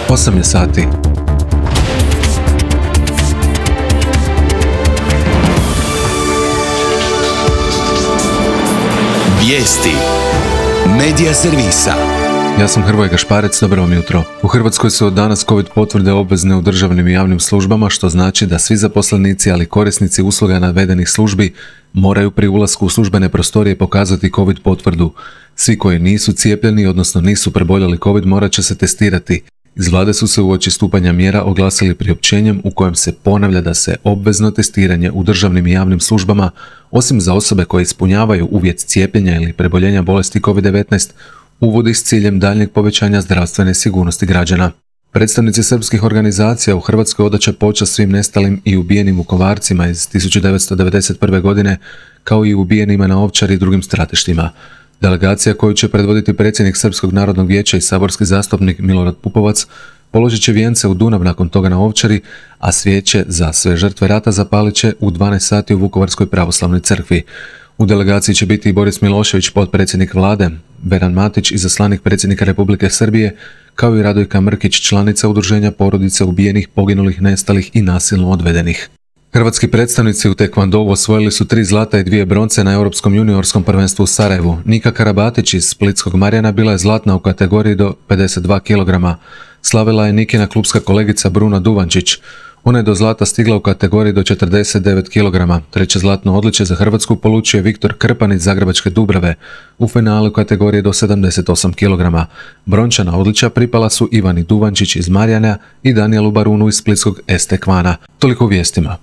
8 je sati. Vijesti Medija servisa. Ja sam Hrvoje Gašparec, dobro vam jutro. U Hrvatskoj su od danas COVID potvrde obvezne u državnim i javnim službama, što znači da svi zaposlenici, ali korisnici usluga navedenih službi moraju pri ulasku u službene prostorije pokazati COVID potvrdu. Svi koji nisu cijepljeni, odnosno nisu preboljeli COVID, morat će se testirati. Iz vlade su se uoči stupanja mjera oglasili priopćenjem u kojem se ponavlja da se obvezno testiranje u državnim i javnim službama, osim za osobe koje ispunjavaju uvjet cijepljenja ili preboljenja bolesti COVID-19, uvodi s ciljem daljnjeg povećanja zdravstvene sigurnosti građana. Predstavnici srpskih organizacija u Hrvatskoj odat će počast svim nestalim i ubijenim Vukovarcima iz 1991. godine, kao i ubijenima na Ovčari i drugim stratištima. Delegacija koju će predvoditi predsjednik Srpskog narodnog vijeća i saborski zastupnik Milorad Pupovac položit će vijence u Dunav nakon toga na Ovčari, a svijeće za sve žrtve rata zapalit će u 12 sati u Vukovarskoj pravoslavnoj crkvi. U delegaciji će biti i Boris Milošević, potpredsjednik vlade, Veran Matić, izaslanik predsjednika Republike Srbije, kao i Radojka Mrkić, članica udruženja porodice ubijenih, poginulih, nestalih i nasilno odvedenih. Hrvatski predstavnici u tekvondou osvojili su 3 zlata i 2 bronce na Europskom juniorskom prvenstvu u Sarajevu. Nika Karabatić iz Splitskog Marjana bila je zlatna u kategoriji do 52 kg. Slavila je Nikina klupska kolegica Bruna Duvančić. Ona je do zlata stigla u kategoriji do 49 kg. Treće zlatno odličje za Hrvatsku polučio je Viktor Krpan iz Zagrebačke Dubrave u finalu kategorije do 78 kg. Brončana odličja pripala su Ivani Duvančić iz Marjana i Danielu Barunu iz Splitskog Estekvana. Toliko u vijestima.